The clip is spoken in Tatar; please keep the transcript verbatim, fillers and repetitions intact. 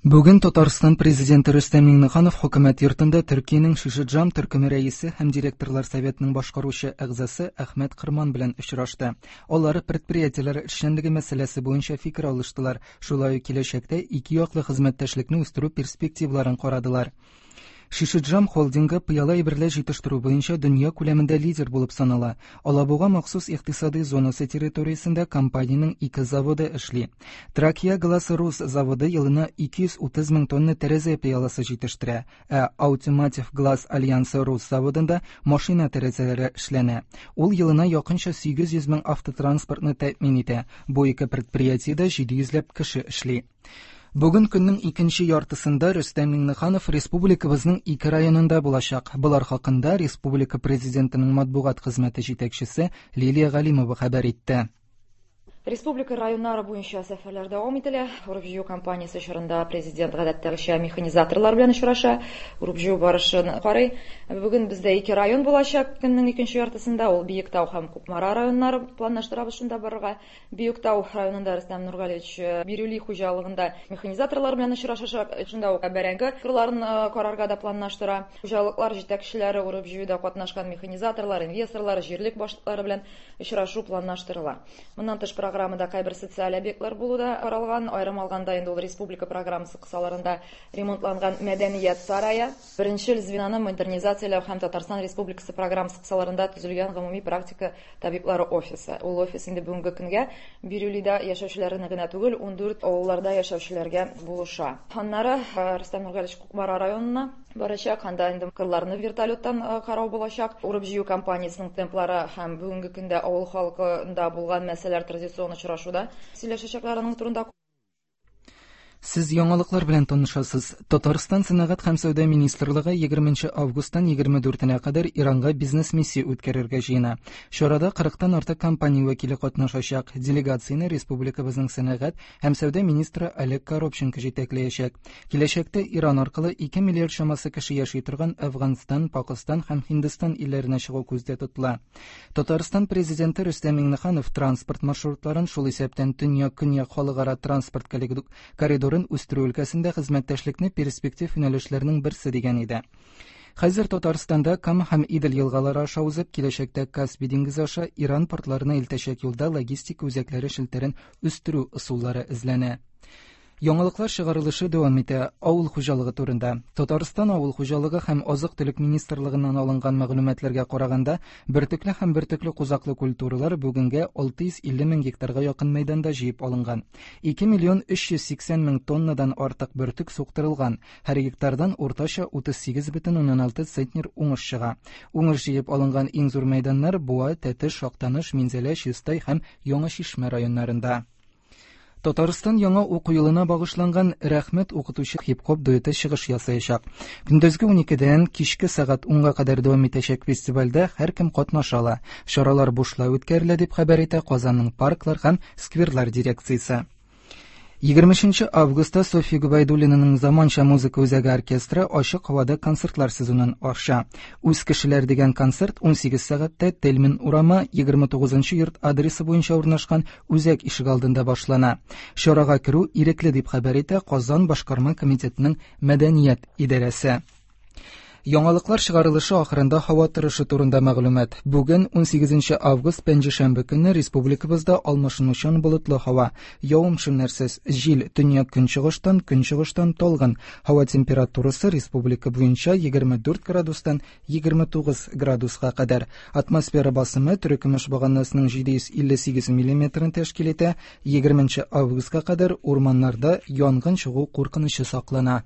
Бүген Татарстан президенты Рөстәм Миңнеханов хөкүмәт йортында Төркиянең Шишиджам төркеме рәисе һәм директорлар советының башкаручы әгъзасы Әхмәт Кырман белән очрашты. Алар предприятиеләр эшчәнлеге мәсьәләсе буенча фикер алыштылар, шулай ук киләчәктә ике яклы хезмәттәшлекне үстерү перспективаларын карадылар. Шишиджам холдингы пыяла әйберләр җитештерү буенча дөнья күләмендә лидер булып санала. Алабуга махсус икътисади зонасы территориясендә компаниянең ике заводы эшли. Тракия Гласс Рус заводы елына ике йөз утыз мең тонна тәрәзә пыяласы җитештерә, ә Automotive Glass Альянсы Рус заводында машина тәрәзәләре эшләнә. Ул елына якынча сигез йөз мең автотранспортны тәэмин итә. Бу ике предприятиедә җиде йөзләп кеше эшли. Бүген көннең икенче яртысында Рөстәм Миңнеханов республикабызның ике районында булачак. Болар хакында республика президентының матбугат хезмәте җитәкчесе Лилия Галимова хәбәр итте. Республика районнары буенча сәфәрләр дәвам ителә. Урып-җыю кампаниясе чорында президент гадәттәгечә механизаторлар белән очраша, урып-җыю барышын карый. Бүген бездә ике район булачак көннең икенче яртысында. Ул Биектау һәм Кукмара районнары планлаштырабыз шунда барырга. Биектау районында Рөстәм Нургалиевич Бирюли хуҗалыгында механизаторлар белән очрашачак. Шунда ук бәрәңге кырларын карарга да планлаштыра. Хуҗалыклар җитәкчеләре, урып-җыюда катнашкан механизаторлар, инвесторлар, җирлек башлыклары белән очрашу планлаштырыла. Моннан тыш программада кайбер социаль объектлар булу да каралган. Аерым алганда инде ул республика программасы кысаларында ремонтланган мәдәният сарае, беренчел звеноны модернизацияләү һәм Татарстан Республикасы программасы кысаларында төзелгән гомуми практика табиблары офисы. Ул офис инде бүгенге көнгә Бирюлида яшәүчеләрне генә түгел, ундүрт авылларда яшәүчеләргә булыша. Аннары Рөстәм Нургалиевич Кукмара районына барачак, анда инде кырларны вертолеттан карау булачак. Урып-җыю кампаниясенең темплары һәм бүгенге көндә авыл халкында булган мәсьәләләр традицион очрашуда сөйләшәчәкләр аның турында. Сез яңалыклар белән танышасыз. Татарстан Сәнәгать һәм сәүдә министрлыгы егерменче августтан егерме дүртенә кадәр Иранга бизнес-миссия үткәрергә җыена. Чарада кырыктан артык компания вәкиле катнашачак. Делегацияне республикабызның сәнәгать һәм сәүдә министры Олег Коробченко җитәкләячәк. Киләчәктә Иран аркылы ике миллиард чамасы кеше яши торган Әфганстан, Пакыстан һәм Һиндстан илләренә чыгу күздә тотыла. Татарстан президенты Рөстәм Миңнеханов транспорт маршрутларын, шул исәптән төньяк-көньяк халыкара транспорт коридоры үстерү өлкәсендә хезмәттәшлекне перспектив юнәлешләрнең берсе дигән иде. Хәзер Татарстанда Кама һәм Идел елгалары аша узып, киләчәктә Каспий диңгезе аша Иран портларына илтәчәк юлда логистика үзәкләре челтәрен үстерү ысуллары эзләнә. Яңалыклар чыгарылышы дәвам итә. Авыл хуҗалыгы турында. Татарстан Авыл хуҗалыгы һәм азык-төлек министрлыгыннан алынган мәгълүматларга караганда, бөртекле һәм бөртекле кузаклы культуралар бүгенгә алты йөз илле мең гектарга якын мәйданда җыеп алынган. ике миллион өч йөз сиксән мең тоннадан артык бөртек суктырылган. Һәр гектардан уртача утыз сигез бөтен уннан алты центнер уңыш чыга. Уңыш җыеп алынган иң зур мәйданнар Буа, Тәтеш, Актаныш, Минзәлә, Чистай һәм Яңа Чишмә районнарында. Татарстан яңа уку елына багышланган Рәхмәт укытучы хип-хоп дуэты чыгыш ясаячак. Көндезге уникедән кичке сәгать унга кадәр дәвам итәчәк фестивальдә һәркем катнаша ала. Чаралар бушлай үткәрелә дип хәбәр итә Казанның парклар һәм скверлар дирекциясе. Егерме өченче августта Софья Губайдуллинаның заманча музыка үзәге оркестры ачык һавада концертлар сезонын ача. Үз кешеләр дигән концерт унсигез сәгатьтә Тельмин урамы егерме тугызынчы йорт адресы буенча урнашкан үзәк ишегалдында башлана. Чарага керү ирекле дип хәбәр итә Казан башкарма комитетының мәдәният идарәсе. Яңалыклар чыгарылышы ахырында һава торышы турында мәгълүмат. Бүген унсигезенче август пәнҗешәмбе көнне республикабызда алмашынучан болытлы һава, явым-төшемнәрсез, җил төньяк-көнчыгыштан, көнчыгыштан талгын. Һава температурасы республика буенча егерме дүрт градустан егерме тугыз градуска кадәр. Атмосфера басымы терекөмеш баганасының җиде йөз илле сигез миллиметрын тәшкил итә. Егерменче августка кадәр урманнарда янгын чыгу куркынычы саклана.